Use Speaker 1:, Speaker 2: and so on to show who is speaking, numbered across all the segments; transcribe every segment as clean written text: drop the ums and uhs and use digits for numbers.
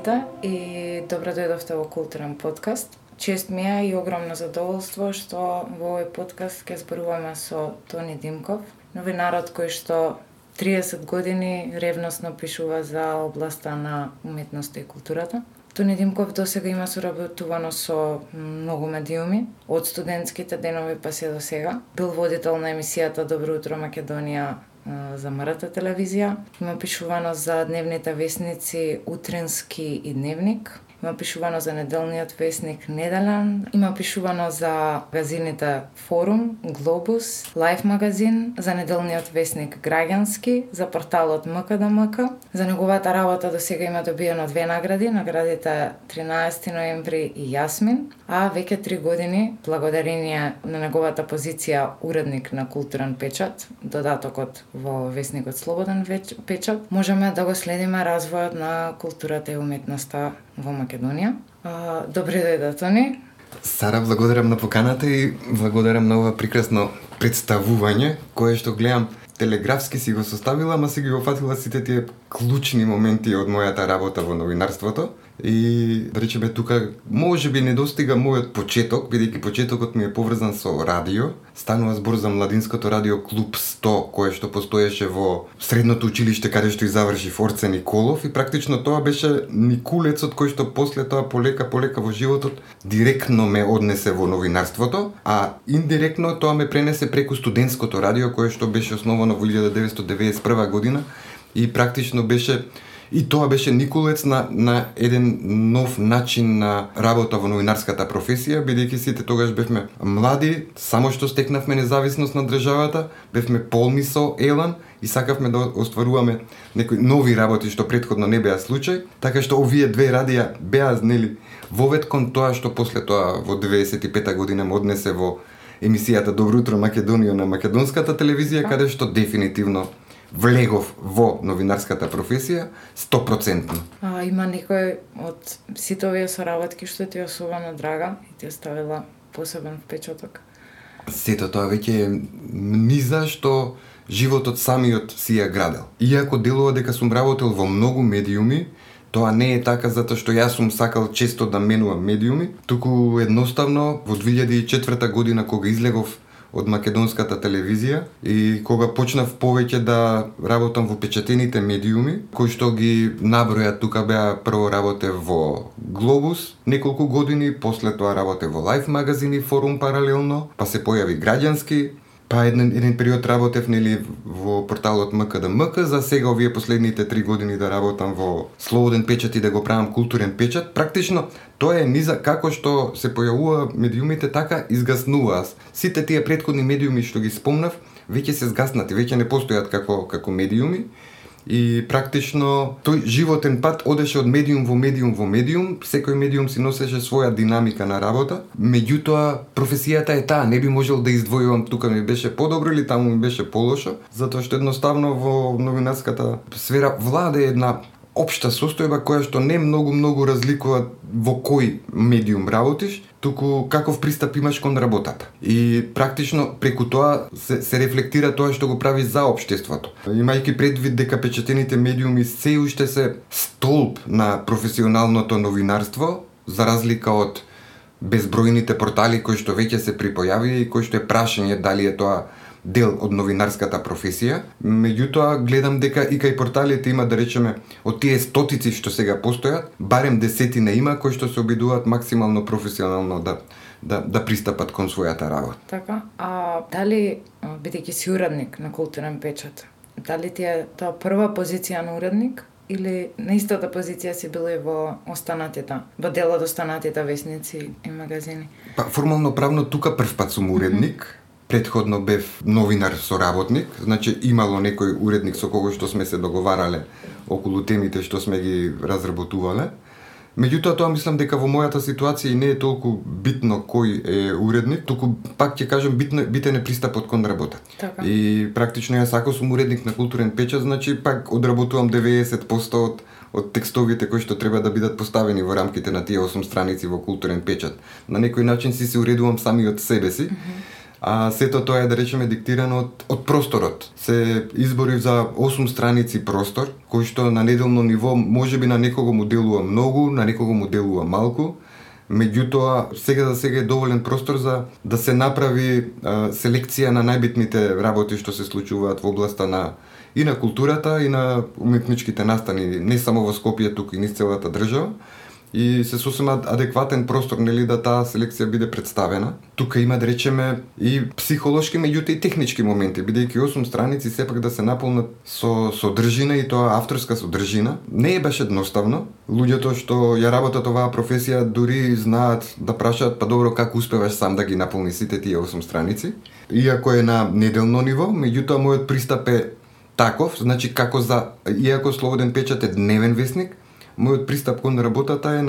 Speaker 1: сите и добро дојдовте во Културен подкаст. Чест ми е и огромно задоволство што во овој подкаст ќе зборуваме со Тони Димков, новинарот кој што 30 години ревносно пишува за областа на уметноста и културата. Тони Димков досега има соработувано со многу медиуми, од студентските денови па се до сега. Бил водител на емисијата Добро утро Македонија за МРТ телевизија. Има пишувано за дневните весници Утрински и Дневник. Има пишувано за неделниот весник Неделен. Има пишувано за магазините Форум, Глобус, Лайф магазин, за неделниот весник Граѓански, за порталот МКДМК. За неговата работа до сега има добиено 2 награди, наградите 13 ноември и Јасмин, а веќе 3 години, благодарение на неговата позиција уредник на Културен печат, додатокот во весникот Слободен печат, можеме да го следиме развојот на културата и уметноста во Македонија. Добре дојде, Тони.
Speaker 2: Сара, благодарам на поканата и благодарам на ова прекрасно представување, кое што гледам телеграфски си го составила, ама си ги офатила сите тие клучни моменти од мојата работа во новинарството. И да речеме тука можеби недостига мојот почеток, бидејќи почетокот ми е поврзан со радио. Станува збор за младинското радио Клуб 100, кое што постоеше во средното училиште каде што и заврши Форце Николов, и практично тоа беше никулецот кој што после тоа полека во животот директно ме однесе во новинарството, а индиректно тоа ме пренесе преку студентското радио кое што беше основано во 1991 година и практично беше и тоа беше никулец на еден нов начин на работа во новинарската професија, бидејќи сите тогаш бевме млади, само што стекнавме независност на државата, бевме полни со елан и сакавме да остваруваме некои нови работи што претходно не беа случај, така што овие две радија беа вовед кон тоа што после тоа во 95 година ме однесе во емисијата Добро утро Македонија на македонската телевизија, каде што дефинитивно влегов во новинарската професија 100%.
Speaker 1: Има некој од сите овие соработки што ти е особено драга и ти оставила посебен впечаток?
Speaker 2: Сето тоа веќе е низа што животот самиот си ја градел. Иако делува дека сум работел во многу медиуми, тоа не е така затоа што јас сум сакал често да менувам медиуми, туку едноставно во 2004 година кога излегов од македонската телевизија и кога почнав повеќе да работам во печатените медиуми, кои што ги набројат тука беа прво работев во Глобус неколку години, после тоа работев во Лайф магазин и Форум паралелно, па се појави Граѓански, па еден период работев во порталот МКДМК, за сега овие последните 3 години да работам во Слободен печат и да го правам Културен печат. Практично тоа е низа како што се појавува медиумите, така изгаснува. Сите тие претходни медиуми што ги спомнав веќе се згаснати, веќе не постојат како медиуми. И практично тој животен пат одеше од медиум во медиум, секој медиум си носеше своја динамика на работа. Меѓутоа професијата е таа, не би можел да издвојувам тука ми беше подобро или таму ми беше полошо, затоа што едноставно во новинарската сфера владе една општа состојба која што не многу разликува во кој медиум работиш, туку каков пристап имаш кон работата. И практично преку тоа се рефлектира тоа што го прави за општеството. Имајќи предвид дека печатените медиуми се уште се столб на професионалното новинарство, за разлика од безбројните портали кои што веќе се припојави и кои што е прашање дали е тоа дел од новинарската професија. Меѓутоа гледам дека и кај порталите има, да речеме, од тие стотици што сега постојат, барем десетина има кои што се обидуваат максимално професионално да пристапат кон својата работа.
Speaker 1: Така, дали бидејќи си уредник на Културен печат, дали ти е тоа прва позиција на уредник или на истата позиција си бил и во дел од останатите весници и магазини?
Speaker 2: Па формално правно тука првпат сум уредник. Претходно бев новинар соработник, значи имало некој уредник со кого што сме се договарале околу темите што сме ги разработувале. Меѓутоа тоа мислам дека во мојата ситуација и не е толку битно кој е уредник, туку пак ќе кажем битен е пристапот кон работа.
Speaker 1: Така.
Speaker 2: И практично јас ако сум уредник на Културен печат, значи пак одработувам 90% од текстовите кои што треба да бидат поставени во рамките на тие 8 страници во Културен печат. На некој начин си се уредувам самиот себе си. а сето тоа е, да речеме, диктирано од просторот. Се изборив за 8 страници простор, кој што на неделно ниво можеби на некого му делува многу, на некого му делува малку. Меѓутоа, сега за сега е доволен простор за да се направи селекција на најбитните работи што се случуваат во областа и на културата и на уметничките настани, не само во Скопје, туку и низ целата држава. И се сосема адекватен простор, нели, да таа селекција биде представена. Тука има, да речеме, и психолошки, меѓутоа и технички моменти, бидејќи 8 страници сепак да се наполнат со содржина и тоа авторска содржина. Не е беше едноставно. Луѓето што ја работат оваа професија дури знаат да прашаат, па добро, како успеваш сам да ги наполни сите тие 8 страници. Иако е на неделно ниво, меѓутоа мојот пристап е таков, значи иако Слободен печат е дневен весник, мојот пристап кон работата е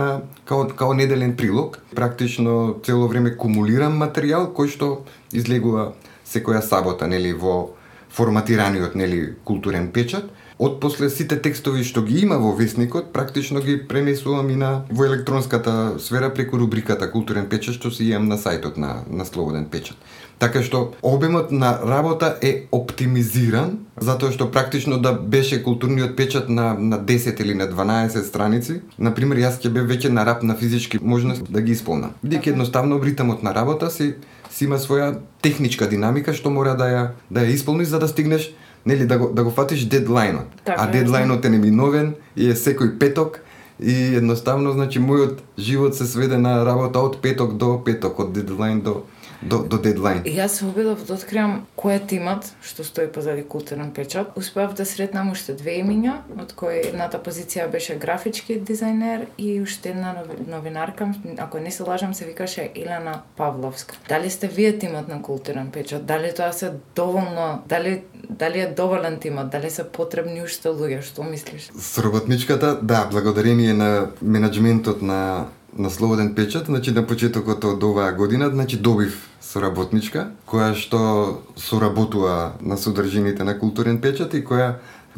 Speaker 2: као неделен прилог. Практично цело време кумулирам материјал кој што излегува секоја сабота, нели, во форматираниот, нели, културен печат. Отпосле сите текстови што ги има во весникот, практично ги пренесувам и во електронската сфера преку рубриката Културен печат што си имам на сајтот на Слободен печат. Така што обемот на работа е оптимизиран, затоа што практично да беше културниот печат на 10 или на 12 страници, например, јас ќе бев веќе на рап на физички можност да ги исполнам. Бидејќи едноставно ритмот на работа си има своја техничка динамика што мора да ја исполниш за да стигнеш, нели, да го фатиш дедлајнот. А дедлајнот е неминовен и е секој петок и едноставно, значи, мојот живот се сведе на работа од петок до петок, од дедлајн до дедлајн.
Speaker 1: Јас се обидов да откриам кој е тимот што стои позади Културен печат. Успеав да сретнам уште 2 имиња, од кои едната позиција беше графички дизајнер и уште една новинарка, ако не се лажам, се викаше Елена Павловска. Дали сте вие тимот на Културен печат? Дали тоа се доволно, дали е доволен тимот? Дали се потребни уште луѓе? Што мислиш?
Speaker 2: Соработничката, да, благодарение на менаџментот на Слободен печат, значи на почетокот од оваа година, значи добив соработничка, која што соработува на содржините на Културен печат и која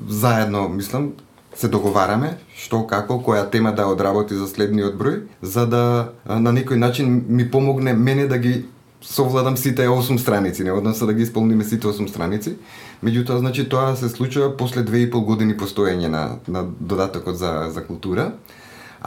Speaker 2: заедно, мислам, се договараме што, како, која тема да одработи за следниот број, за да на некој начин ми помогне мене да ги совладам сите 8 страници, не односно да ги исполниме сите 8 страници. Меѓутоа, значи, тоа се случува после 2,5 години постоење на додатокот за култура.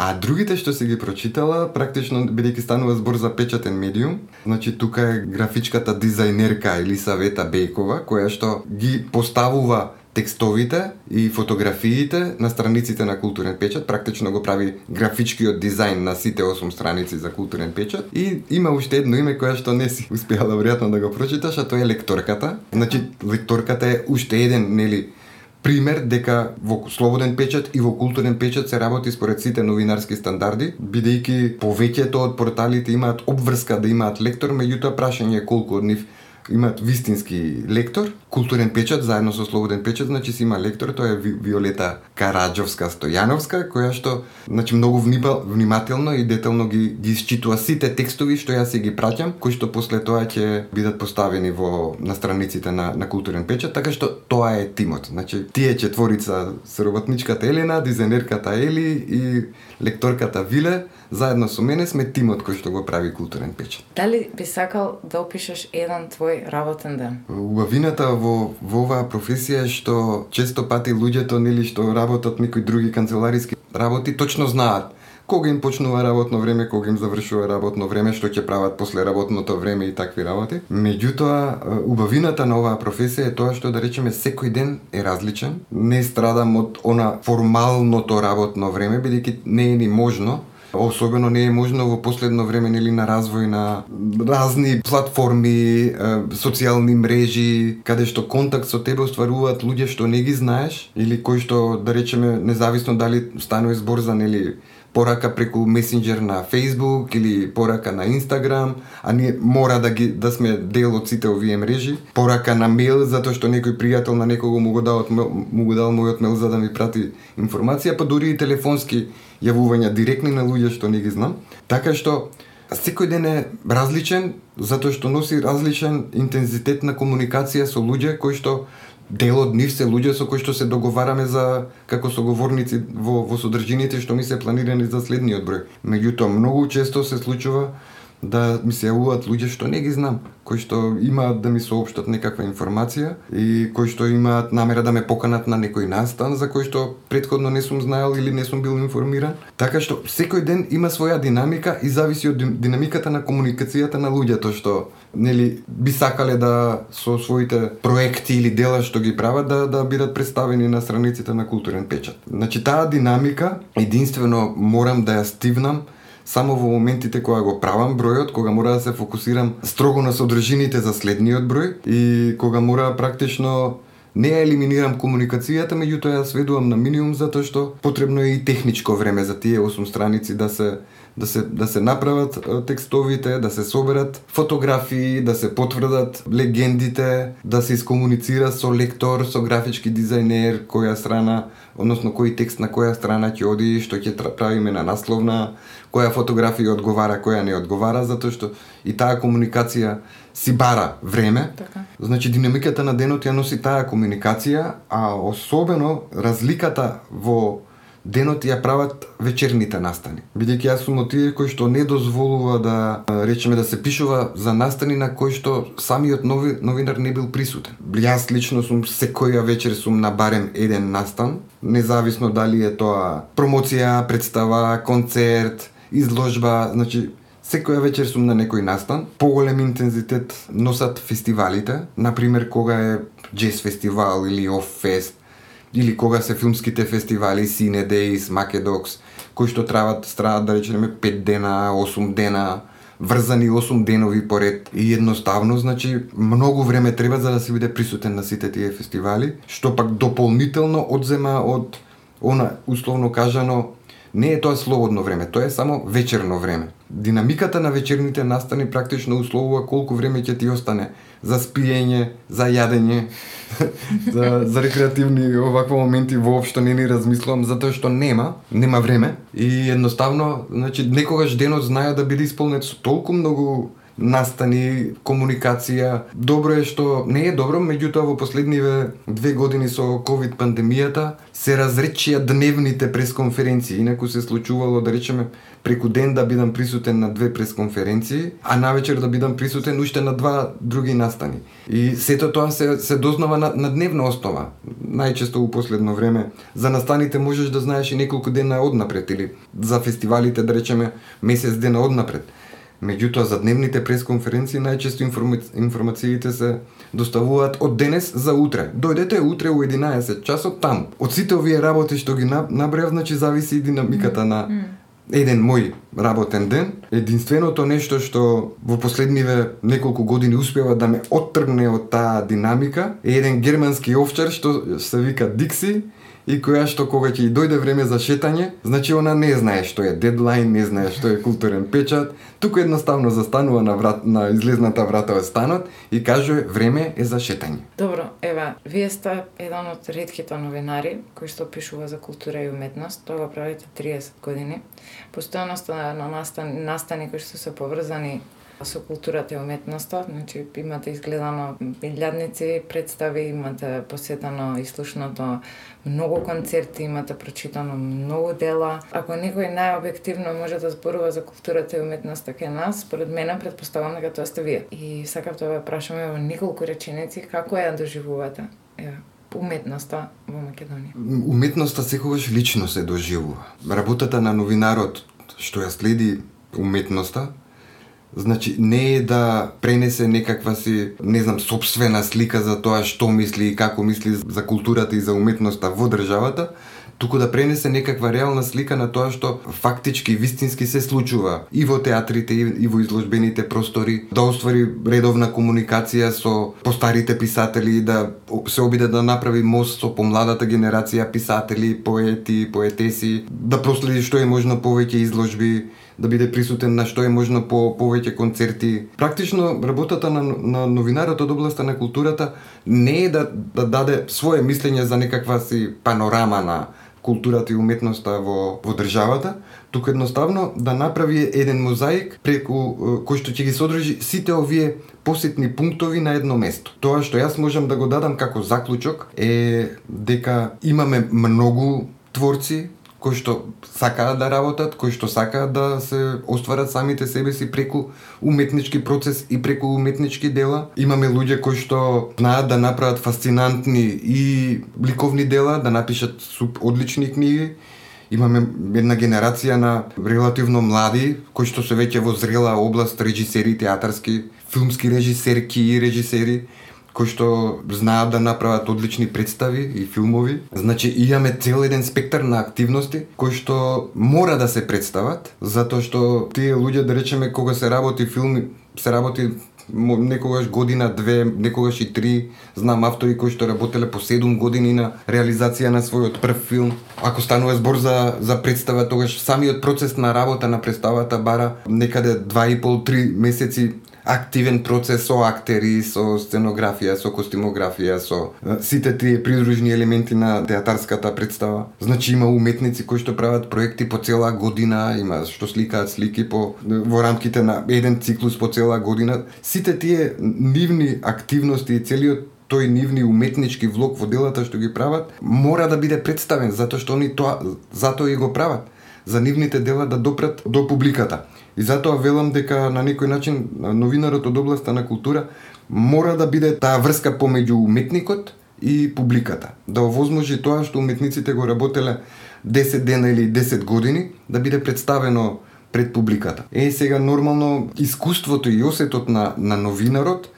Speaker 2: А другите што се ги прочитала, практично, бидејќи станува збор за печатен медиум, значи тука е графичката дизајнерка Елисавета Бејкова, која што ги поставува текстовите и фотографиите на страниците на Културен печат, практично го прави графичкиот дизајн на сите 8 страници за Културен печат. И има уште едно име која што не си успеала веројатно да го прочиташ, а тоа е лекторката. Значи, лекторката е уште еден, нели, пример дека во Слободен печат и во Културен печат се работи според сите новинарски стандарди, бидејќи повеќето од порталите имаат обврска да имаат лектор, меѓутоа прашање е колку од нив имаат вистински лектор. Културен печат заедно со Слободен печат, значи си има лектор, тоа е Виолета Караџовска Стојановска, која што, значи, многу внимателно и детално ги исчитува сите текстови што јас си ги праќам, кои што после тоа ќе бидат поставени на страниците на Културен печат, така што тоа е тимот. Значи, тие четворица, соработничката Елена, дизајнерката Ели и лекторката Виле, заедно со мене сме тимот кој што го прави Културен печат.
Speaker 1: Дали би сакал да опишеш еден твој работен ден?
Speaker 2: Убавината во оваа професија е што често пати луѓето, нели, што работат некои други канцелариски работи, точно знаат кога им почнува работно време, кога им завршува работно време, што ќе прават после работното време и такви работи. Меѓутоа, убавината на оваа професија е тоа што, да речеме, секој ден е различен. Не страдам од формалното работно време, бидејќи не е ни можно. Особено не е можно во последно време, нели, на развој на разни платформи, социјални мрежи, каде што контакт со тебе остваруваат луѓе што не ги знаеш или кои што, да речеме, независно дали станува збор за, нели, порака преку месенџер на Facebook или порака на Instagram, а ние мора да сме дел од сите овие мрежи, порака на мејл затоа што некој пријател на некого му го дал мојот мејл за да ми прати информација, па дури и телефонски јавувања директни на луѓе што не ги знам. Така што секој ден е различен затоа што носи различен интензитет на комуникација со луѓе кои што дел од нив се луѓе со кои што се договараме за како соговорници во содржините што ми се планирани за следниот број. Меѓутоа многу често се случува да ми се јавуваат луѓе што не ги знам, кои што имаат да ми соопштат некаква информација и кои што имаат намера да ме поканат на некој настан за кој што претходно не сум знаел или не сум бил информиран. Така што секој ден има своја динамика и зависи од динамиката на комуникацијата на луѓето што би сакале да со своите проекти или дела што ги прават да бидат представени на страниците на Културен печат. Значи таа динамика единствено морам да ја стивнам само во моментите кога го правам бројот, кога мора да се фокусирам строго на содржините за следниот број и кога мора практично не ја елиминирам комуникацијата, меѓутоа ја сведувам на минимум затоа што потребно е и техничко време за тие 8 страници да се направат текстовите, да се соберат фотографии, да се потврдат легендите, да се искомуницира со лектор, со графички дизајнер, која страна, односно кој текст на која страна ќе оди, што ќе правиме на насловна, која фотографија одговара, која не одговара, затоа што и таа комуникација си бара време.
Speaker 1: Така.
Speaker 2: Значи динамиката на денот ја носи таа комуникација, а особено разликата во денот ја прават вечерните настани. Бидејќи јас сум од тие кои што не дозволува да речеме да се пишува за настани на кои што самиот новинар не бил присутен. Јас лично сум секоја вечер сум на барем еден настан, независно дали е тоа промоција, представа, концерт, изложба, значи секоја вечер сум на некој настан. Поголем интензитет носат фестивалите, например кога е джез фестивал или оф фест, или кога се филмските фестивали, Cine Days, Македокс, кои што траат да речеме 5 дена, 8 дена, врзани 8 денови поред. И едноставно, значи, многу време треба за да се биде присутен на сите тие фестивали, што пак дополнително одзема од она, условно кажано, не е тоа слободно време, тоа е само вечерно време. Динамиката на вечерните настани практично условува колку време ќе ти остане за спиење, за јадење, за рекреативни овакви моменти воопшто не ни размислувам, затоа што нема време и едноставно, значи некогаш денот знае да биде исполнет со толку многу настани, комуникација. Добро е што не е добро, меѓутоа во последниве 2 години со ковид пандемијата се разречија дневните пресконференции. Инаку се случувало да речеме преку ден да бидам присутен на 2 пресконференции, а навечер да бидам присутен уште на 2 други настани. И сето тоа се дознава на дневна основа. Најчесто у последно време за настаните можеш да знаеш и неколку дена однапред или за фестивалите да речеме месец дена однапред. Меѓутоа за дневните пресконференции најчесто информациите се доставуваат од денес за утре. Дојдете утре у 11 часот таму. Од сите овие работи што ги набројав, значи зависи и динамиката на еден мој работен ден. Единственото нешто што во последниве неколку години успева да ме оттргне од таа динамика е еден германски овчар што се вика Дикси, и која што кога ќе дојде време за шетање, значи она не знае што е дедлайн, не знае што е Културен печат, туку едноставно застанува на излезната врата од станот и кажува време е за шетање.
Speaker 1: Добро, ева, вие сте еден од ретките новинари кои што пишува за култура и уметност, тоа го правите 30 години. Постојано сте на настани кои што се поврзани со културата и уметноста, значи имате изгледано илјадници представи, имате посетено и слушнато многу концерти, имате прочитано многу дела. Ако некој најобјективно може да зборува за културата и уметноста кај нас, според мене претпоставам дека тоа сте вие. И сакав да ве прашаме во неколку реченици како ја доживувате уметноста во Македонија.
Speaker 2: Уметноста секогаш лично се доживува. Работата на новинарот што ја следи уметноста, значи не е да пренесе некаква си, не знам, сопствена слика за тоа што мисли и како мисли за културата и за уметноста во државата, туку да пренесе некаква реална слика на тоа што фактички, вистински се случува и во театрите и во изложбените простори, да оствари редовна комуникација со постарите писатели, да се обиде да направи мост со помладата генерација писатели, поети, поетеси, да проследи што е можно повеќе изложби, да биде присутен на што е можно повеќе концерти. Практично работата на новинарот од областа на културата не е да даде свое мислење за некаква си панорама на културата и уметноста во државата, туку едноставно да направи еден мозаик преку кој што ќе ги содржи сите овие посетни пунктови на едно место. Тоа што јас можам да го дадам како заклучок е дека имаме многу творци кои што сакаат да работат, кои што сакаат да се остварат самите себе си преку уметнички процес и преку уметнички дела. Имаме луѓе кои што знаат да направат фасцинантни и ликовни дела, да напишат одлични книги. Имаме една генерација на релативно млади, кои што се веќе во зрела област, режисери, театарски, филмски режисерки и режисери, кои што знаат да направат одлични представи и филмови. Значи, имаме цел еден спектар на активности кои што мора да се представат, затоа што тие луѓе, да речеме, кога се работи филм, се работи некогаш година, две, некогаш и 3. Знам автори кои што работеле по 7 години на реализација на својот прв филм. Ако станува збор за представа, тогаш самиот процес на работа на представата бара некаде 2,5-3 месеци активен процес со актери, со сценографија, со костимографија, со сите тие придружни елементи на театарската представа. Значи има уметници кои што прават проекти по цела година, има што сликаат слики во рамките на еден циклус по цела година. Сите тие нивни активности и целиот тој нивни уметнички влог во делата што ги прават мора да биде представен, затоа што они затоа и го прават, за нивните дела да допрат до публиката. И затоа велам дека на некој начин новинарот од областа на култура мора да биде таа врска помеѓу уметникот и публиката. Да овозможи тоа што уметниците го работеле 10 дена или 10 години да биде представено пред публиката. Сега нормално искуството и осетот на новинарот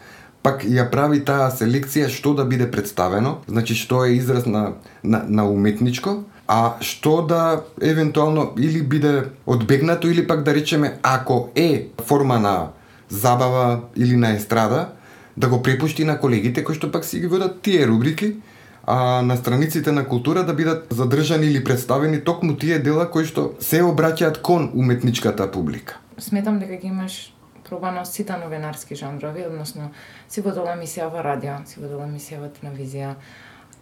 Speaker 2: пак ја прави таа селекција што да биде представено, значи што е израз на уметничко, а што да евентуално или биде одбегнато или пак да речеме ако е форма на забава или на естрада, да го препушти на колегите кои што пак си ги водат тие рубрики, а на страниците на култура да бидат задржани или представени токму тие дела кои што се обраќаат кон уметничката публика.
Speaker 1: Сметам дека ги имаш пробано сите новинарски жанрови, односно си водела емисија во радио, си водела емисија во телевизија,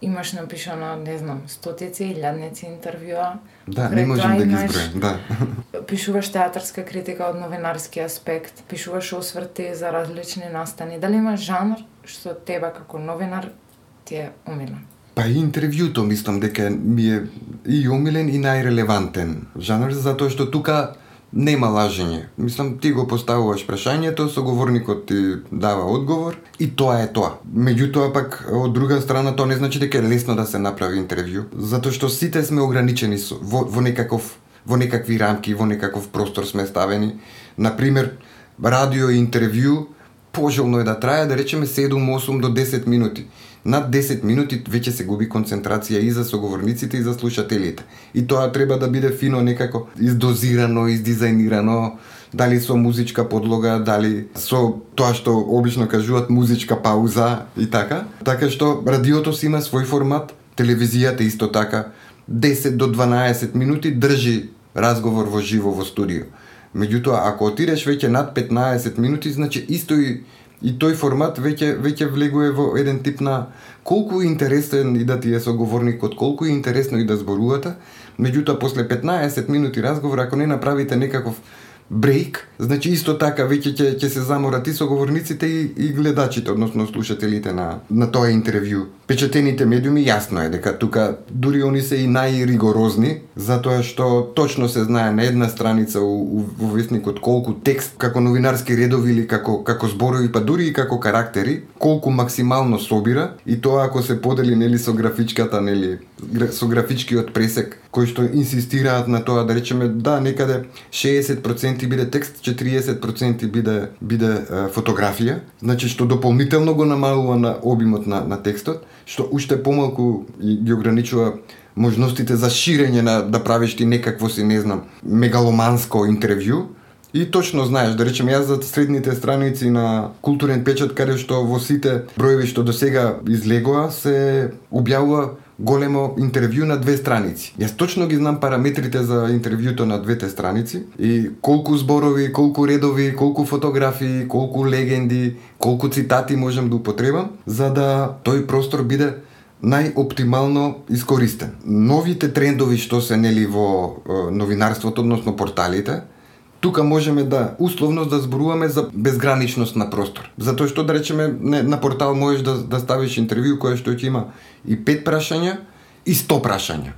Speaker 1: имаш напишано, не знам, стотици, илјадници интервјуа.
Speaker 2: Да, не можем да ги изброим, да.
Speaker 1: Пишуваш театарска критика од новинарски аспект, пишуваш осврти за различни настани. Дали има жанр што тебе како новинар ти е омилен?
Speaker 2: Па и интервјуто мислам дека ми е и омилен и најрелевантен жанр, затоа што тука нема лажење. Мислам, ти го поставуваш прашањето, соговорникот ти дава одговор и тоа е тоа. Меѓутоа пак, од друга страна, тоа не значи дека е лесно да се направи интервју, затоа што сите сме ограничени во некакви рамки, во некаков простор сме ставени. Например, радио интервју пожелно е да трае, да речеме 7, 8 до 10 минути. Над 10 минути веќе се губи концентрација и за соговорниците и за слушателите. И тоа треба да биде фино некако издозирано, издизајнирано, дали со музичка подлога, дали со тоа што обично кажуваат музичка пауза и така. Така што радиото си има свој формат, телевизијата исто така, 10 до 12 минути држи разговор во живо во студио. Меѓутоа, ако отидеш веќе над 15 минути, значи исто и тој формат веќе влегува во еден тип на колку интересен и да ти е соговорникот, колку е интересно и да зборувате, меѓутоа после 15 минути разговор, ако не направите некаков брейк, значи исто така веќе ќе се заморат и соговорниците и гледачите, односно слушателите на тоа интервју. Печатените медиуми јасно е дека тука дури они се и најригорозни, затоа што точно се знае на една страница во весникот колку текст како новинарски редови или како зборови, па дури и како карактери, колку максимално собира, и тоа ако се подели со графичката, со графичкиот пресек кои што инсистираат на тоа, да речеме, да, некаде 60% биде текст, 40% биде фотографија, значи што дополнително го намалува на обимот на текстот, што уште помалку ги ограничува можностите за ширење да правиш ти некакво си, не знам, мегаломанско интервју. И точно знаеш, да речем, јас за средните страници на Културен печат, каде што во сите броеви што до сега излегоа, се објавува големо интервју на 2 страници. Јас точно ги знам параметрите за интервјуто на 2 страници и колку зборови, колку редови, колку фотографии, колку легенди, колку цитати можам да употребам, за да тој простор биде најоптимално искористен. Новите трендови што се во новинарството, односно порталите, тука можеме да условно да зборуваме за безграничност на простор. Затоа што, да речеме, на портал можеш да ставиш интервју кое што ќе има и 5 прашања и 100 прашања.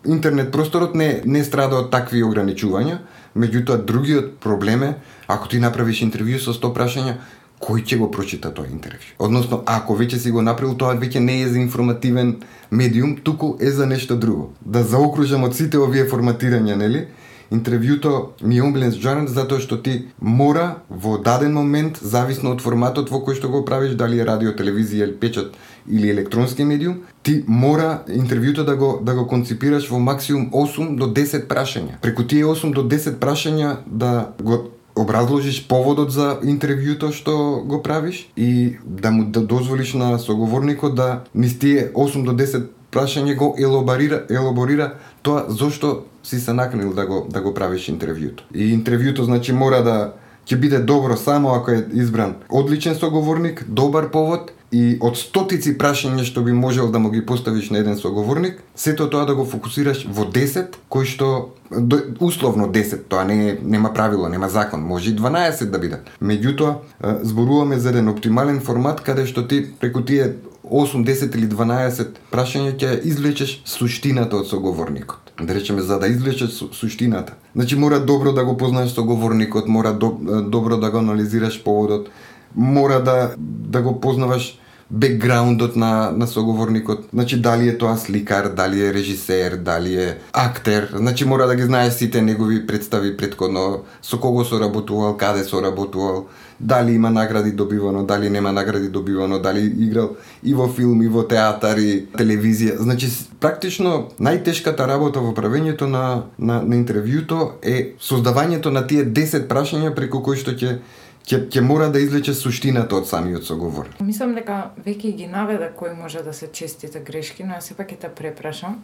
Speaker 2: интернет просторот не страда од такви ограничувања, меѓутоа другиот проблем е, ако ти направиш интервју со 100 прашања, кој ќе го прочита тоа интервју? Односно, ако веќе си го направил, тоа веќе не е за информативен медиум, туку е за нешто друго. Да заокружам од сите овие форматирања, нели? Интервјуто ми е омилен жанр затоа што ти мора во даден момент, зависно од форматот во кој што го правиш, дали е радио, телевизија, печат или електронски медиум, ти мора интервјуто да го конципираш во максимум 8 до 10 прашања. Преку тие 8 до 10 прашања да го образложиш поводот за интервјуто што го правиш и да му дозволиш на соговорникот да низ тие 8 до 10 прашање го елаборира тоа зошто си се наканил да го правиш интервјуто. И интервјуто значи мора да ќе биде добро само ако е избран одличен соговорник, добар повод и од стотици прашања што би можел да му ги поставиш на еден соговорник, сето тоа да го фокусираш во 10, кои што условно 10, тоа нема правило, нема закон, може и 12 да биде. Меѓутоа, зборуваме за еден оптимален формат каде што ти преку тие 8, 10 или 12 прашања ќе извлечеш суштината од соговорникот. Да речеме, за да извлечеш суштината. Значи мора добро да го познаеш соговорникот, мора добро да го анализираш поводот, мора да го познаваш бекграундот на соговорникот. Значи дали е тоа сликар, дали е режисер, дали е актер. Значи мора да ги знаеш сите негови представи претходно, со кого соработувал, каде соработувал, дали има награди добивано, дали нема награди добивано, дали играл и во филм, и во театар, и телевизија. Значи практично најтешката работа во правењето на интервјуто е создавањето на тие 10 прашања преку кои што ќе мора да извлече суштината од самиот соговор.
Speaker 1: Мислам дека веќе ги наведа кои може да се честите грешки, но јас сепак ќе те препрашам.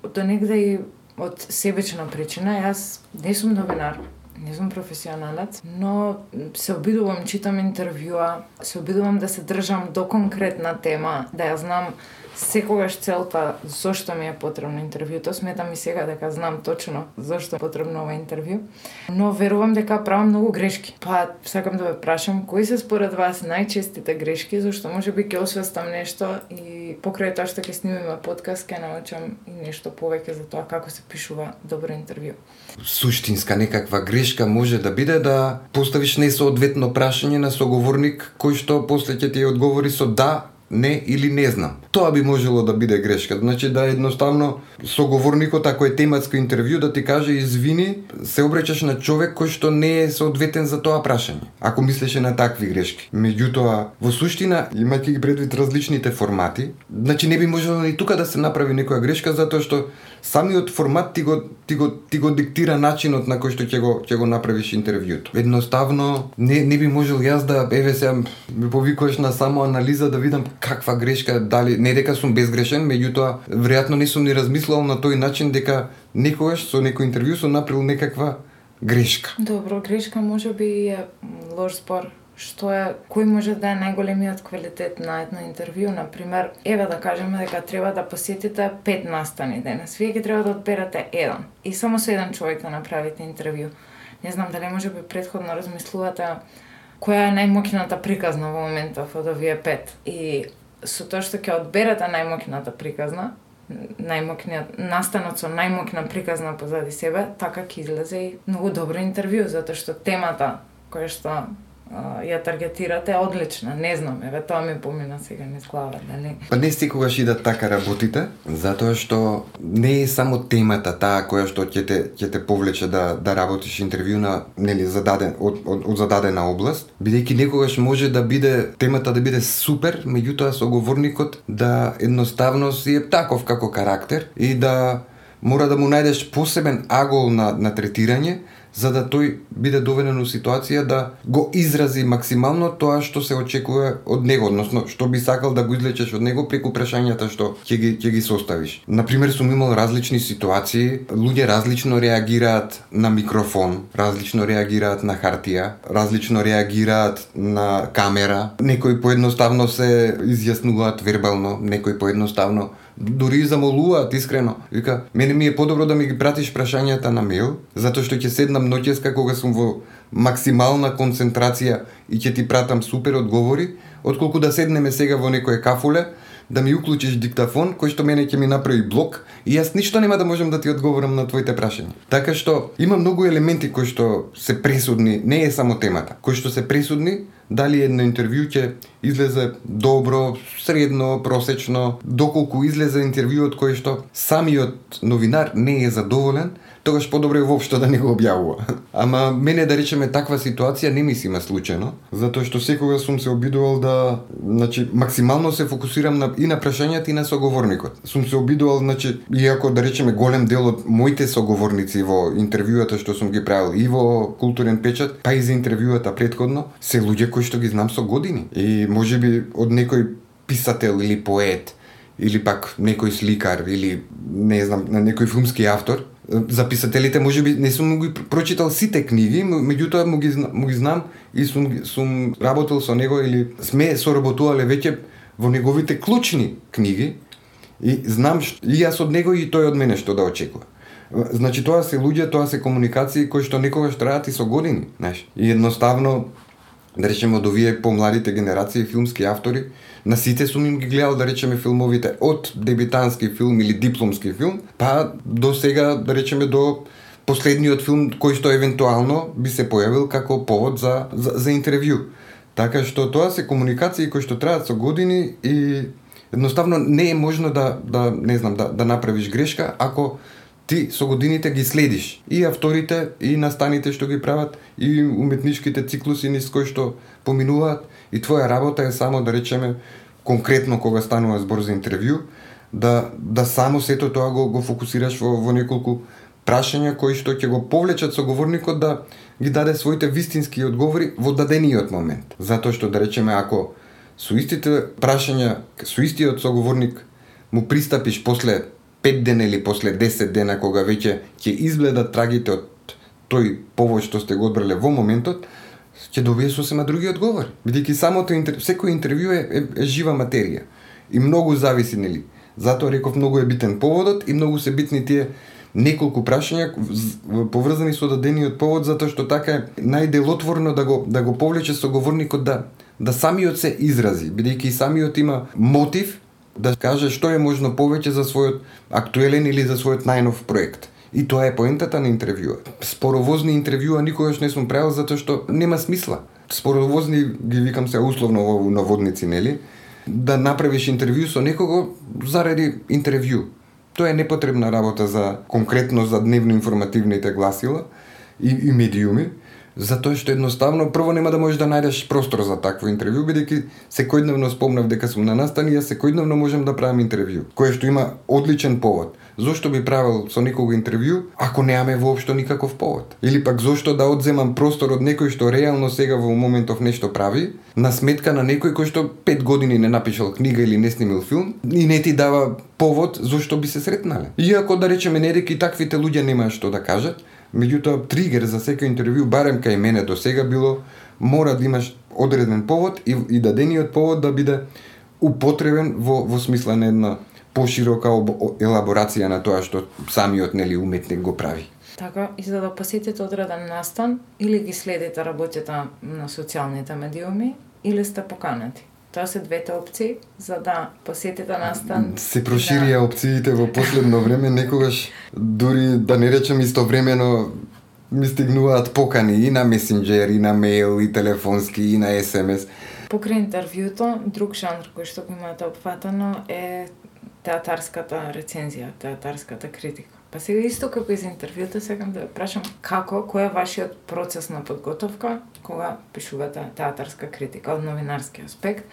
Speaker 1: До негде и од себечна причина, јас не сум новинар, не сум професионалец, но се обидувам, читам интервјуа, се обидувам да се држам до конкретна тема, да ја знам секогаш целта зошто ми е потребно интервјуто. Сметам и сега дека знам точно зошто е потребно ова интервју, но верувам дека правам многу грешки. Па сакам да ве прашам, кои се според вас најчестите грешки, зашто можеби ќе освестам нешто и покрај тоа што ќе снимиме подкаст ќе научам и нешто повеќе за тоа како се пишува добро интервју.
Speaker 2: Суштинска некаква грешка може да биде да поставиш несоодветно прашање на соговорник кој што после ќе ти одговори со да, не или не знам. Тоа би можело да биде грешка. Значи да едноставно соговорникот, ако е тематско интервју, да ти каже извини, се обраќаш на човек кој што не е соодветен за тоа прашање. Ако мислеше на такви грешки. Меѓутоа, во суштина, имајќи ги предвид различните формати, значи не би можело и тука да се направи некоја грешка затоа што самиот формат ти го диктира начинот на кој што ќе го направиш интервјуто. Едноставно не би можел јас да сега ме повикуваш на само анализа да видам каква грешка, дали не дека сум безгрешен, меѓутоа веројатно не сум ни размислувал на тој начин дека некогаш со некој интервју сум направил некаква грешка.
Speaker 1: Добро, грешка можеби е лош збор. Што е, кој може да е најголемиот квалитет на едно интервју? Например, еве да кажеме дека треба да посетите 5 настани денес. Вие ќе треба да одберете еден и само со еден човек да направите интервју. Не знам дали можеби претходно размислувате која е најмоќната приказна во моментов од овие 5 и со тоа што ќе одберете најмоќната приказна, најмоќниот настанот со најмоќна приказна позади себе, така ќе излезе и многу добро интервју, затоа што темата која што ја таргетирате е одлична, не знам, еве тоа ми помина сега низ глава, нели?
Speaker 2: Па не секогаш и да така работите, затоа што не е само темата таа која што ќе те повлече да работиш интервју на нели од зададена област, бидејќи некогаш може да биде темата да биде супер, меѓутоа соговорникот да едноставно си е таков како карактер и да мора да му најдеш посебен агол на третирање, за да тој биде доведен у ситуација да го изрази максимално тоа што се очекува од него, односно што би сакал да го извлечеш од него преку прашањата што ќе ги составиш. Например, сум имал различни ситуации, луѓе различно реагираат на микрофон, различно реагираат на хартија, различно реагираат на камера, некои поедноставно се изјаснуваат вербално, некои поедноставно дури замолуваат искрено. Вика, мене ми е подобро да ми ги пратиш прашањата на мејл, затоа што ќе седнам ноќеска кога сум во максимална концентрација и ќе ти пратам супер одговори, отколку да седнеме сега во некое кафуле, да ми уклучиш диктафон кој што мене ќе ми направи блок и јас ништо нема да можам да ти одговорам на твоите прашања. Така што има многу елементи кои што се пресудни, не е само темата, кои што се пресудни, дали едно интервју ќе излезе добро, средно, просечно, доколку излезе интервјуот кој што самиот новинар не е задоволен, тогаш подобро е воопшто да не го објавува. Ама мене, да речеме, таква ситуација не ми се има случајно, затоа што секогаш сум се обидувал да, максимално се фокусирам и на прашањата и на соговорникот. Сум се обидувал, иако да речеме голем дел од моите соговорници во интервјуата што сум ги правил и во Културен печат, па и за интервјуата претходно, се луѓе кои што ги знам со години. И можеби од некој писател или поет, или пак некој сликар, или не знам, некој филмски автор. За писателите можеби не сум ги прочитал сите книги, меѓутоа му ги знам и сум работел со него или сме соработувале веќе во неговите клучни книги и знам и јас од него и тој од мене што да очекува. Значи тоа се луѓе, тоа се комуникации кои што некогаш траат и со години, знаеш. И едноставно, да речеме, од овие помладите генерации филмски автори, на сите сум им ги гледал, да речеме, филмовите од дебютански филм или дипломски филм, па до сега, да речеме, до последниот филм кој што евентуално би се појавил како повод за интервју. Така што тоа се комуникации кои што траат со години и едноставно не е можно да направиш грешка ако ти со годините ги следиш и авторите, и настаните што ги прават, и уметничките циклуси низ кои што поминуваат, и твоја работа е само, да речеме, конкретно кога станува збор за интервју, да само сето тоа го фокусираш во неколку прашања кои што ќе го повлечат соговорникот да ги даде своите вистински одговори во дадениот момент. Затоа што, да речеме, ако со истите прашања, со истиот соговорник му пристапиш после 5 дена или после 10 дена, кога веќе ќе изгледат трагите од тој повод што сте го одбрале во моментот, ќе добие сосема други одговори. Бидејќи секој интервју е жива материја и многу зависи, нели? Затоа реков, многу е битен поводот и многу се битни тие неколку прашања поврзани со дадениот повод, затоа што така е најделотворно да го повлече соговорникот да самиот се изрази, бидејќи самиот има мотив да каже што е можно повеќе за својот актуелен или за својот најнов проект. И тоа е поентата на интервјуа. Споровозни интервјуа никогаш не сум правил затоа што нема смисла. Споровозни ги викам се условно во наводници, нели? Да направиш интервју со некого заради интервју. Тоа е непотребна работа за конкретно за дневно-информативните гласила и медиуми, затоа што едноставно прво нема да можеш да најдеш простор за такво интервју, бидејќи секојдневно спомнав дека сум на настани, јас секојдневно можам да правам интервју, кое што има одличен повод. Зошто би правил со некого интервју ако немаме воопшто никаков повод? Или пак зошто да одземам простор од некој што реално сега во моментов нешто прави, на сметка на некој кој што 5 години не напишал книга или не снимил филм и не ти дава повод зошто би се сретнале. Иако, да речеме, нереки таквите луѓе немаат што да кажат, меѓутоа тригер за секој интервју, барем кај мене до сега било, мора да имаш одреден повод и дадениот повод да биде употребен во смисла на една поширока елаборација на тоа што самиот, нели, уметник го прави.
Speaker 1: Така, и за да посетите одреден настан, или ги следите работите на социјалните медиуми, или сте поканети. Тоа се двете опции за да посетите настан.
Speaker 2: Се проширија опциите во последно време, некогаш дури да не речем истовремено ми стигнуваат покани и на месенџер, и на мејл, и телефонски, и на SMS.
Speaker 1: Покрај интервјуто, друг жанр кој што го имате опфатано е театарската рецензија, театарската критика. Па сега исто како и за интервјуто, сакам да прашам кој е вашиот процес на подготовка кога пишувате театарска критика од новинарски аспект?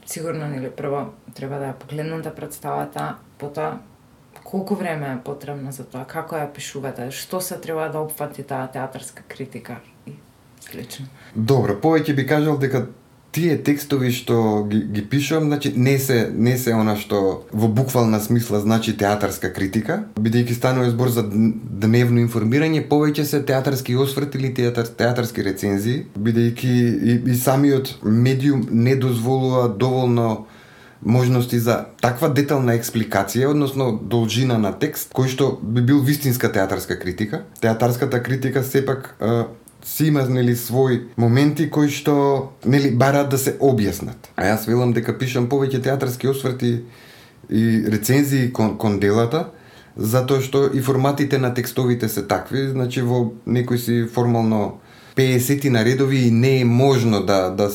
Speaker 1: Сигурно, нели, прво треба да ја погледнете представата, потоа колку време е потребно за тоа, како ја пишувате, што се треба да опфати таа театарска критика и слично.
Speaker 2: Добро, повеќе би кажал дека тие текстови што ги пишувам, значи не се она што во буквална смисла значи театарска критика, бидејќи станува збор за дневно информирање, повеќе се театарски осврт или театарски рецензии, бидејќи и самиот медиум не дозволува доволно можности за таква детална експликација, односно должина на текст, кој што би бил вистинска театарска критика. Театарската критика сепак си има нели свој моменти кои што нели бараат да се објаснат. А јас велам дека пишам повеќе театарски осврти и рецензии кон делата, затоа што и форматите на текстовите се такви, значи во некој си формално 50 на редови и не е можно да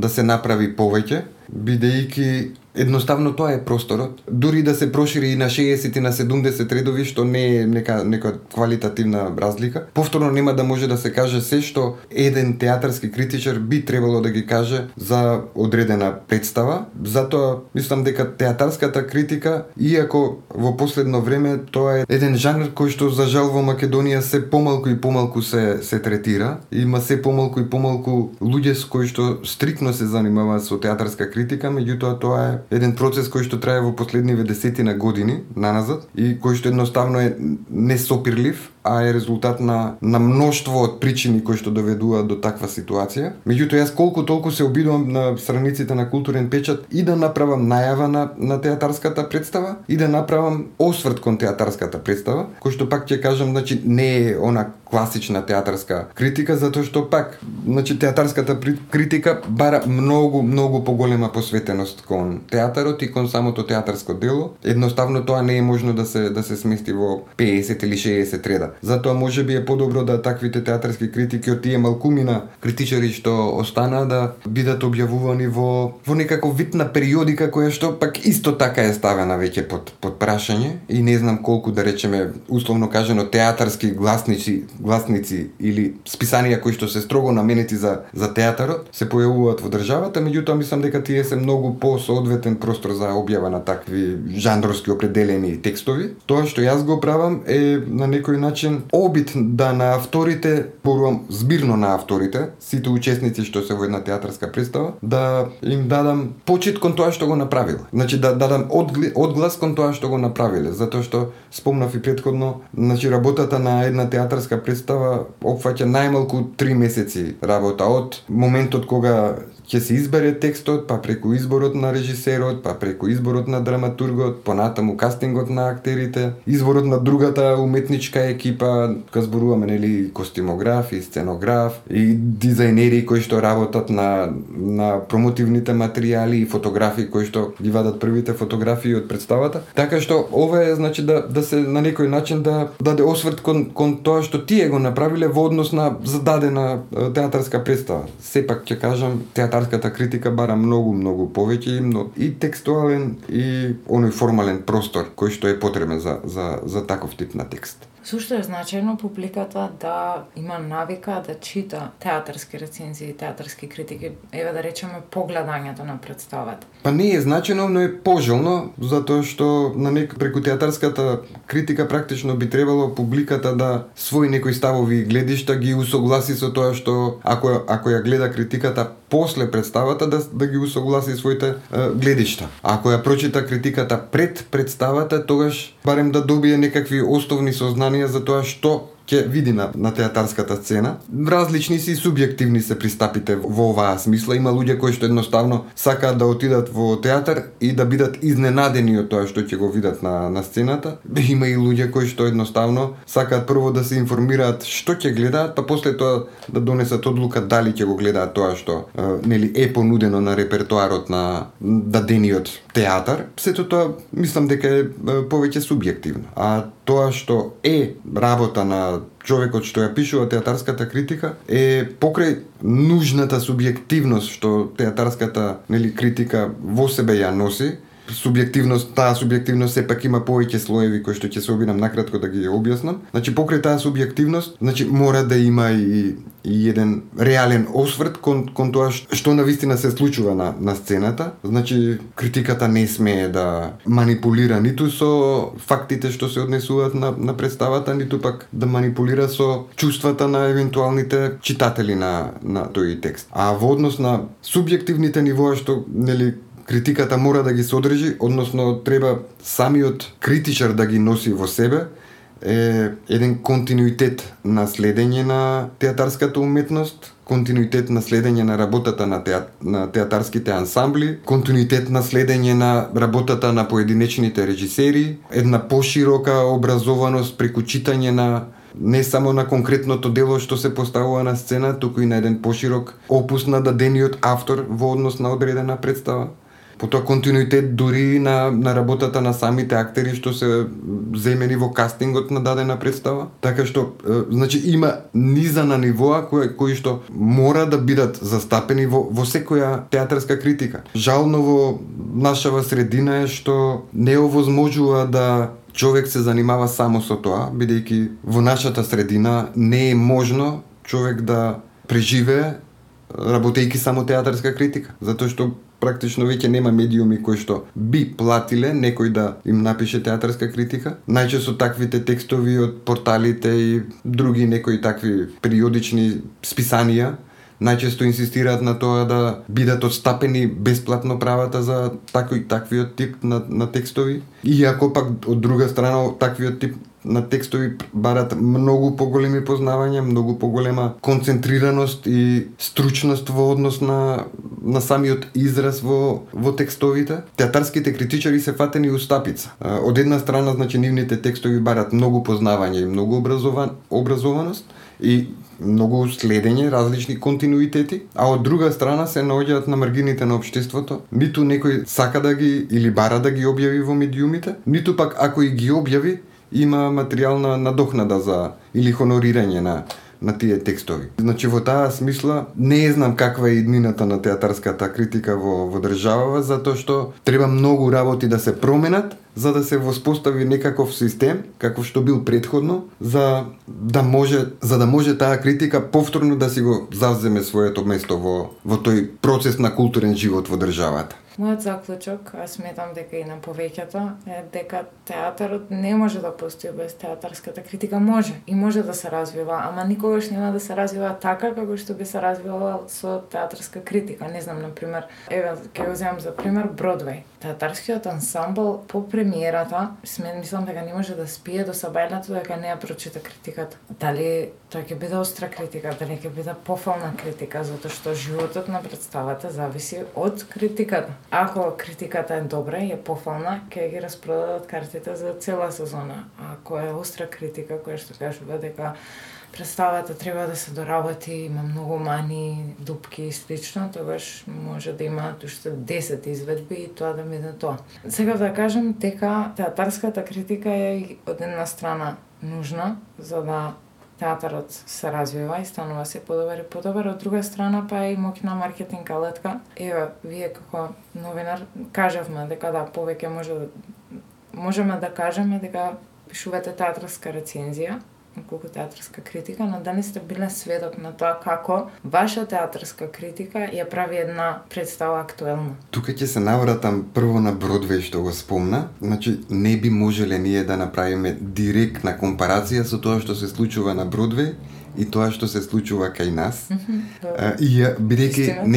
Speaker 2: се направи повеќе, бидејќи едноставно тоа е просторот. Дури да се прошири и на 60 и на 70 редови, што не е нека квалитативна разлика, повторно нема да може да се каже се што еден театарски критичар би требало да ги каже за одредена представа. Затоа мислам дека театарската критика, иако во последно време тоа е еден жанр кој што за жал во Македонија се помалку и помалку се третира, има се помалку и помалку луѓе с кои што стрикно се занимаваат со театарска критика, меѓутоа тоа е еден процес кој што трае во последниве десетина години наназад и кој што едноставно е несопирлив, а е резултат на мноштво од причини кои што доведуваат до таква ситуација. Меѓутоа јас колку толку се обидувам на страниците на Културен печат и да направам најава на театарската представа и да направам осврт кон театарската представа, кој што пак ќе кажам, значи не е она класична театарска критика, затоа што пак, значи театарската критика бара многу поголема посветеност кон театарот и кон самото театарско дело. Едноставно тоа не е можно да се смести во 50 или 60 реда. Затоа можеби е подобро да таквите театарски критики од тие малкумина критичари што останаа да бидат објавувани во некаков вид на периодика која што пак исто така е ставена веќе под прашање и не знам колку, да речеме, условно кажано театарски гласници или списанија кои што се строго наменети за театарот се појавуваат во државата, меѓутоа мислам дека тие се многу посоодветен простор за објава на такви жанровски определени текстови. Тоа што јас го правам е на некој начин обид да на авторите, порувам збирно на авторите, сите учесници што се во една театарска представа, да им дадам почит кон тоа што го направиле. Значи да дадам одглас кон тоа што го направиле, затоа што спомнав и претходно, значи работата на една театарска представа опфаќа најмалку 3 месеци работа од моментот кога ќе се избере текстот, па преку изборот на режисерот, па преку изборот на драматургот, понатаму кастингот на актерите, изборот на другата уметничка екипа, кога зборуваме нели костимограф и сценограф и дизајнери кои што работат на промотивните материјали и фотографии кои што ги вадат првите фотографии од представата. Така што ова е значи да се на некој начин да даде осврт кон тоа што тие го направиле во однос на зададена театарска представа. Сепак ќе кажам, театарската критика бара многу повеќе и текстуален и оној формален простор кој што е потребен за таков тип на текст.
Speaker 1: Сушто е значајно публиката да има навика да чита театарски рецензии, театарски критики, еве да речеме погледањето на представата.
Speaker 2: Па не е значено, но е пожелно, затоа што преку театарската критика практично би требало публиката да свои некои ставови и гледишта ги усогласи со тоа што ако ја гледа критиката после представата да ги усогласи своите гледишта. Ако ја прочита критиката пред представата, тогаш барем да добие некакви основни сознанија за тоа што ќе види на театарската сцена. Различни си субјективни се пристапите во оваа смисла. Има луѓе кои што едноставно сакаат да отидат во театар и да бидат изненадени од тоа што ќе го видат на сцената. Има и луѓе кои што едноставно сакаат прво да се информираат што ќе гледаат, па после тоа да донесат одлука дали ќе го гледаат тоа што нели е понудено на репертоарот на дадениот театар. Сето тоа мислам дека е повеќе субјективно. А тоа што е работа на човекот што ја пишува театарската критика е покрај нужната субјективност што театарската критика во себе ја носи. Таа субјективност сепак има повеќе слоеви кои што ќе се обидам накратко да ги објаснам. Значи покрај таа субјективност, мора да има и еден реален осврт кон тоа што навистина се случува на сцената. Значи критиката не смее да манипулира ниту со фактите што се однесуваат на представата, ниту пак да манипулира со чувствата на евентуалните читатели на тој текст. А во однос на субјективните нивоа што критиката мора да ги содржи, односно треба самиот критичар да ги носи во себе, е еден континуитет на следење на театарската уметност, континуитет на следење на работата на театарските ансамбли, континуитет на следење на работата на поединечните режисери, една поширока образованост преку читање не само на конкретното дело што се поставува на сцена, туку и на еден поширок опус на дадениот автор во однос на одредена представа. Потоа континуитет дури на работата на самите актери што се земени во кастингот на дадена представа. Така што, значи, има низа на нивоа кои што мора да бидат застапени во секоја театарска критика. Жално во нашава средина е што не овозможува да човек се занимава само со тоа, бидејќи во нашата средина не е можно човек да преживее работејќи само театарска критика, затоа што практично веќе нема медиуми кои што би платиле некој да им напише театарска критика. Најчесто таквите текстови од порталите и други некои такви периодични списанија најчесто инсистираат на тоа да бидат отстапени бесплатно правата за таквиот тип на текстови. Иако пак од друга страна таквиот тип на текстови барат многу поголеми познавања, многу поголема концентрираност и стручност во однос на самиот израз во текстовите. Театарските критичари се фатени у стапица. Од една страна, значи, нивните текстови барат многу познавање и многу образованост и многу следење, различни континуитети, а од друга страна се наоѓаат на маргините на општеството. Ниту некој сака да ги или бара да ги објави во медиумите, ниту пак ако и ги објави, има материјална надокнада за или хонорирање на тие текстови. Значи, во таа смисла не знам каква е иднината на театарската критика во државава, затоа што треба многу работи да се променат за да се воспостави некаков систем каков што бил претходно, за да може таа критика повторно да си го завземе своето место во тој процес на културен живот во државата.
Speaker 1: Мојот заклучок, аз сметам дека и на повеќето, е дека театарот не може да постои без театарската критика. Може да се развива, ама никогаш нема да се развива така како што би се развивала со театарска критика. Не знам, например, ќе го земам за пример Бродвеј. Театарскиот ансамбл по премиерата, мислам дека не може да спие до сабајлето дека не ја прочита критиката. Дали тоа ќе биде остра критика, дали ќе биде пофална критика, затоа што животот на представата зависи од критиката. Ако критиката е добра и е пофална, ќе ги распродадат картите за цела сезона. Ако е остра критика, која што кажува дека представата треба да се доработи, има многу мани, дупки и слично, тогаш може да имаат уште 10 изведби и тоа да биде тоа. Сега да кажем дека театарската критика е од една страна нужна за да театарот се развива и станува се подобар и подобар, од друга страна па е и моќна маркетинг алетка. Ева, вие како новинар кажавме дека да, повеќе можеме да кажеме дека пишувате театарска рецензија, колку театарска критика, но дали сте биле сведок на тоа како ваша театарска критика ја прави една представа актуелна?
Speaker 2: Тука ќе се навратам прво на Бродвеј што го спомна. Значи, не би можеле ние да направиме директна компарација со тоа што се случува на Бродвеј и тоа што се случува кај нас. И бидејќи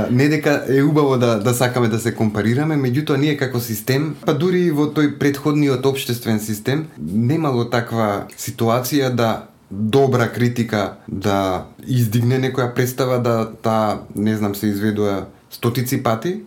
Speaker 2: не дека е убаво да сакаме да се компарираме, меѓутоа ние како систем, па дури во тој претходниот општествен систем, немало таква ситуација да добра критика да издигне некоја представа, да таа, не знам, се изведува стотици пати,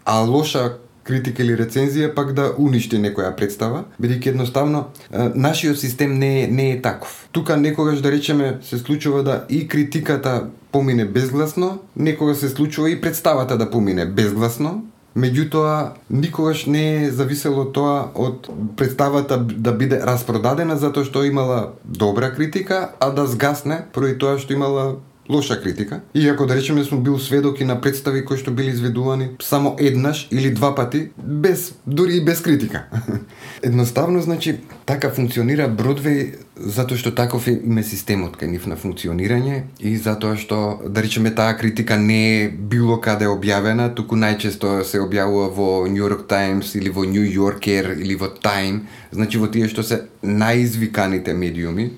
Speaker 2: а лоша критика или рецензија пак да уништи некоја представа, бидејќи едноставно нашиот систем не е таков. Тука некогаш, да речеме, се случува да и критиката помине безгласно, некогаш се случува и представата да помине безгласно, меѓутоа никогаш не е зависело тоа од представата да биде распродадена затоа што имала добра критика, а да згасне поради тоа што имала лоша критика. Иако, да речеме, сум бил сведок и на представи кои што били изведувани само еднаш или два пати, дури и без критика. Едноставно, значи, така функционира Бродвеј затоа што таков име системот кај нив на функционирање и затоа што, да речеме, таа критика не е било каде објавена, туку најчесто се објавува во New York Times или во New Yorker или во Time, значи во тие што се најизвиканите медиуми.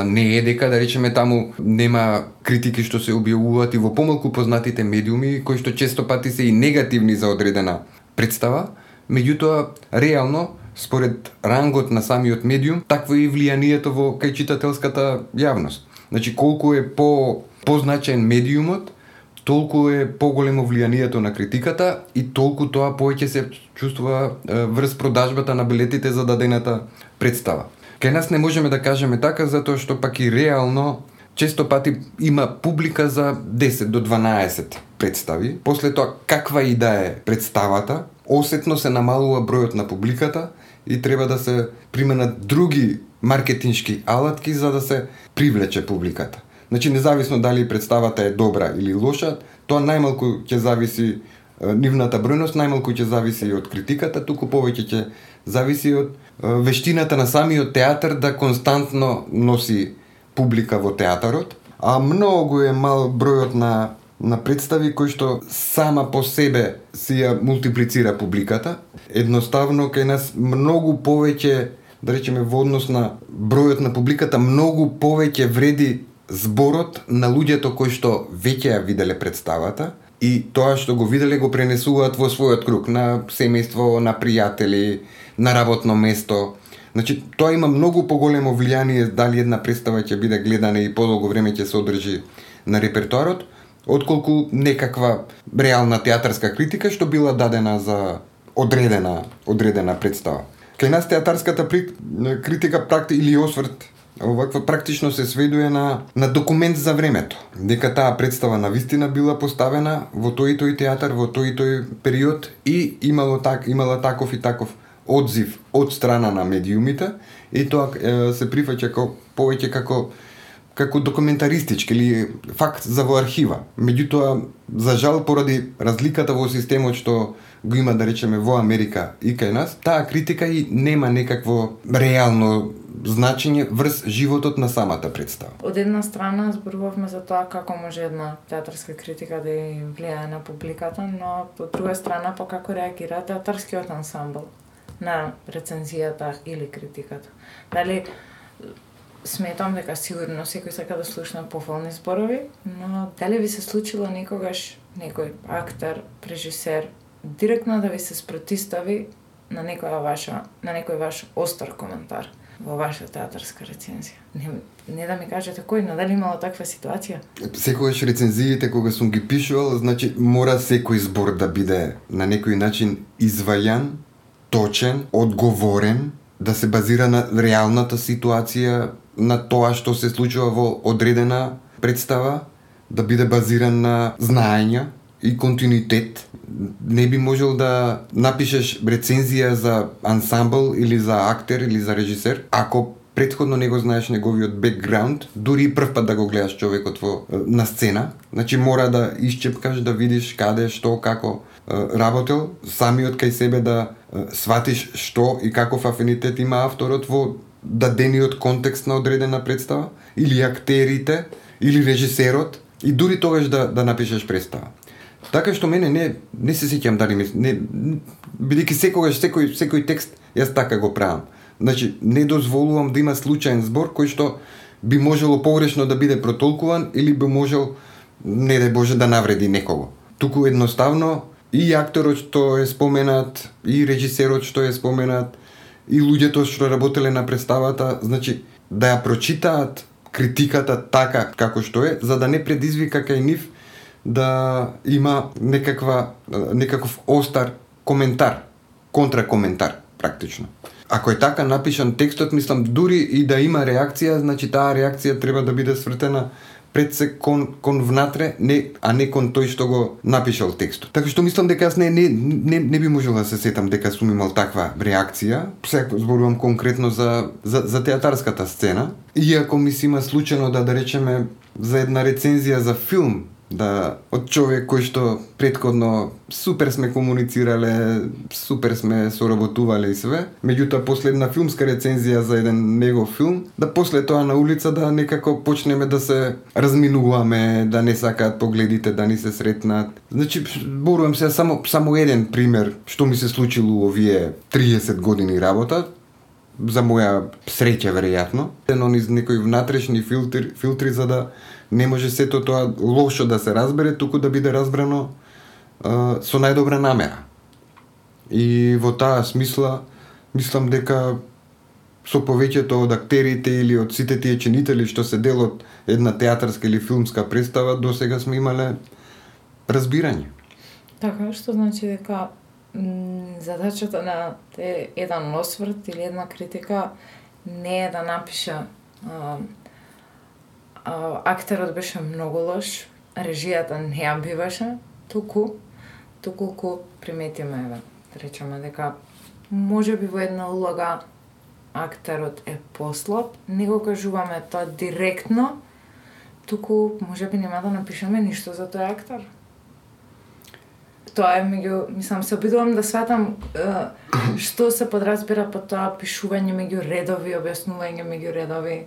Speaker 2: Не е дека, да речеме, таму нема критики што се објавуваат и во помалку познатите медиуми, кои што често пати се и негативни за одредена представа, меѓутоа, реално, според рангот на самиот медиум, такво е и влијанието во кај читателската јавност. Значи, колку е позначен медиумот, толку е поголемо влијанието на критиката и толку тоа повеќе се чувствува врз продажбата на билетите за дадената представа. Кај нас не можеме да кажеме така, затоа што пак и реално често пати има публика за 10 до 12 представи. После тоа, каква и да е представата, осетно се намалува бројот на публиката и треба да се применат други маркетиншки алатки за да се привлече публиката. Значи, независно дали представата е добра или лоша, тоа најмалку ќе зависи нивната бројност, најмалку ќе зависи и од критиката, туку повеќе ќе зависи од вештината на самиот театар да константно носи публика во театарот, а многу е мал бројот на представи кои што сама по себе си ја мултиплицира публиката. Едноставно кај нас многу повеќе, да речеме во однос на бројот на публиката, многу повеќе вреди зборот на луѓето кои што веќе ја виделе представата и тоа што го виделе го пренесуваат во својот круг, на семејство, на пријатели, на работно место. Значи, тоа има многу поголемо влијание дали една представа ќе биде гледана и подолго време ќе се одржи на репертоарот, отколку некаква реална театарска критика што била дадена за одредена представа. Кај нас театарската критика или осврт оваква практично се сведува на документ за времето. Дека таа представа навистина била поставена во тој и тој театар, во тој и тој период и имала таков и таков одзив од страна на медиумите и тоа се прифаќа повеќе како документаристички или факт за во архива. Меѓутоа, за жал, поради разликата во системот што го има, да речеме, во Америка и кај нас, таа критика и нема некакво реално значење врз животот на самата представа.
Speaker 1: Од една страна зборувавме за тоа како може една театарска критика да ја влијае на публиката, но од друга страна па како реагира театарскиот ансамбл на рецензијата или критиката. Дали сметам дека сигурно секој сака да слушна пофални зборови, но дали ви се случило некогаш некој актер, режисер директно да ви се спротистави на некој ваш остар коментар во ваша театарска рецензија? Не да ми кажете кој, но дали имало таква ситуација?
Speaker 2: Секогаш рецензиите кога сум ги пишувал, значи мора секој збор да биде на некој начин извајан, точен, одговорен, да се базира на реалната ситуација, на тоа што се случува во одредена представа, да биде базиран на знаења и континуитет. Не би можел да напишеш рецензија за ансамбл или за актер или за режисер, ако претходно не го знаеш неговиот бекграунд, дури и прв пат да го гледаш човекот на сцена. Значи мора да исчепкаш, да видиш каде, што, како работел, самиот кај себе да сватиш што и каков афинитет има авторот во дадениот контекст на одредена представа, или актерите, или режисерот, и дури тогаш да напишеш представа. Така што мене не се сеќам дали бидејќи секогаш секој текст јас така го правам. Значи не дозволувам да има случаен збор кој што би можело погрешно да биде протолкуван или би можел, не дај Боже, да навреди некого. Туку едноставно и акторот што е споменат, и режисерот што е споменат, и луѓето што работеле на представата, значи да ја прочитаат критиката така како што е, за да не предизвика кај нив да има некаков остар коментар, контракоментар практично. Ако е така напишан текстот, мислам дури и да има реакција, значи таа реакција треба да биде свртена пред се кон внатре, а не кон тој што го напишал текстот. Така што мислам дека јас не би можел да се сетам дека сум имал таква реакција. Сега зборувам конкретно за театарската сцена. Иако ми се има случајно да речеме за една рецензија за филм, од човек кој што претходно супер сме комуницирале, супер сме соработувале и све, меѓутоа после една филмска рецензија за еден негов филм, да после тоа на улица да некако почнеме да се разминуваме, да не сакаат погледите да ни се сретнат. Значи, борувам се само еден пример што ми се случило овие 30 години работа, за моја среќа веројатно, низ некои внатрешни филтри за да не може сето тоа лошо да се разбере, туку да биде разбрано со најдобра намера. И во таа смисла, мислам дека со повеќето од актерите или од сите тие чинители што се дел од една театарска или филмска представа, досега сме имале разбирање.
Speaker 1: Така, што значи дека задачата на еден осврт или една критика не е да напише актерот беше многу лош, режијата не ја биваше, туку приметиме, да речеме дека може би во една улога актерот е послаб, не го кажуваме тоа директно, туку може би нема да напишеме ништо за тој актер. Тоа е мислам, се обидувам да сватам што се подразбира по тоа пишување меѓу редови, објаснување меѓу редови.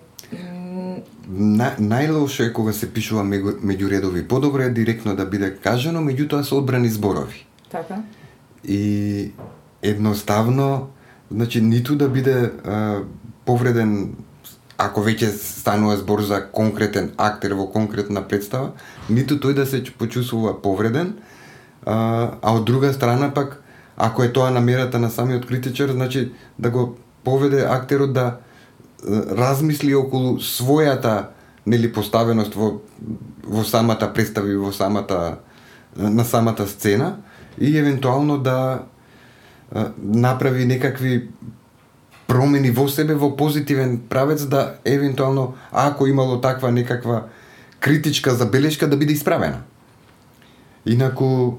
Speaker 2: Најлошо е кога се пишува меѓу редови. Подобро е директно да биде кажано, меѓутоа се одбрани зборови.
Speaker 1: Така.
Speaker 2: И едноставно, значи, ниту да биде повреден, ако веќе станува збор за конкретен актер во конкретна представа, ниту тој да се почувствува повреден, а од друга страна пак, ако е тоа намерата на самиот критичар, значи да го поведе актерот да размисли околу својата поставеност во самата представа и на самата сцена и евентуално да направи некакви промени во себе во позитивен правец, да евентуално ако имало таква некаква критичка забелешка да биде исправена. Инаку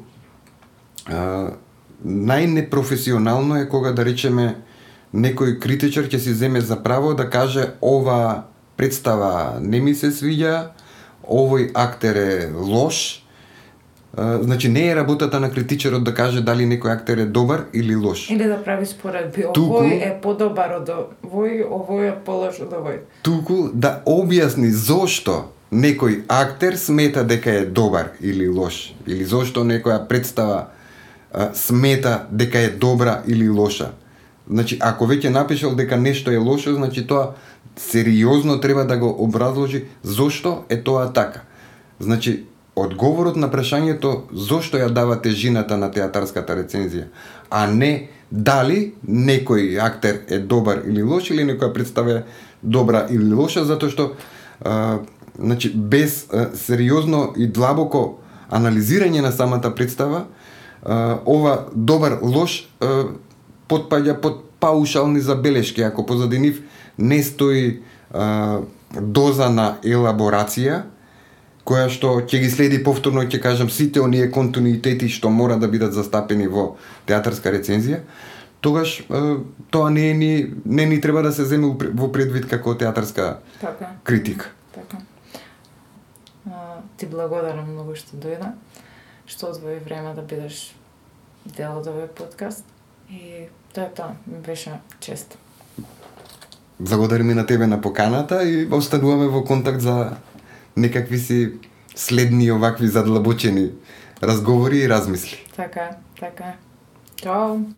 Speaker 2: најнепрофесионално е кога, да речеме, некој критичар ќе си земе за право да каже ова представа не ми се свиѓа, овој актер е лош. Значи не е работата на критичарот да каже дали некој актер е добар или лош.
Speaker 1: Или да прави споредби. Овој е подобар од овој е полош од овој.
Speaker 2: Туку да објасни зошто некој актер смета дека е добар или лош, или зошто некоја представа смета дека е добра или лоша. Значи, ако веќе напишал дека нешто е лошо, значи тоа сериозно треба да го образложи зошто е тоа така. Значи, одговорот на прашањето зошто ја дава тежината на театарската рецензија, а не дали некој актер е добар или лош, или некоја представа е добра или лоша, затоа што значи, без сериозно и длабоко анализирање на самата представа, ова добар лош потпаѓа под паушални забелешки, ако позади нив не стои доза на елаборација, која што ќе ги следи повторно, ќе кажам, сите оние континуитети што мора да бидат застапени во театарска рецензија, тогаш тоа не ни треба да се земе во предвид како театарска критика.
Speaker 1: Така. Ти благодарам многу што дојде, што одвои време да бидеш дел од овој подкаст и тоа беше чест.
Speaker 2: Благодарам и на тебе на поканата и остануваме во контакт за некакви си следни овакви задлабочени разговори и размисли.
Speaker 1: Така. Чао!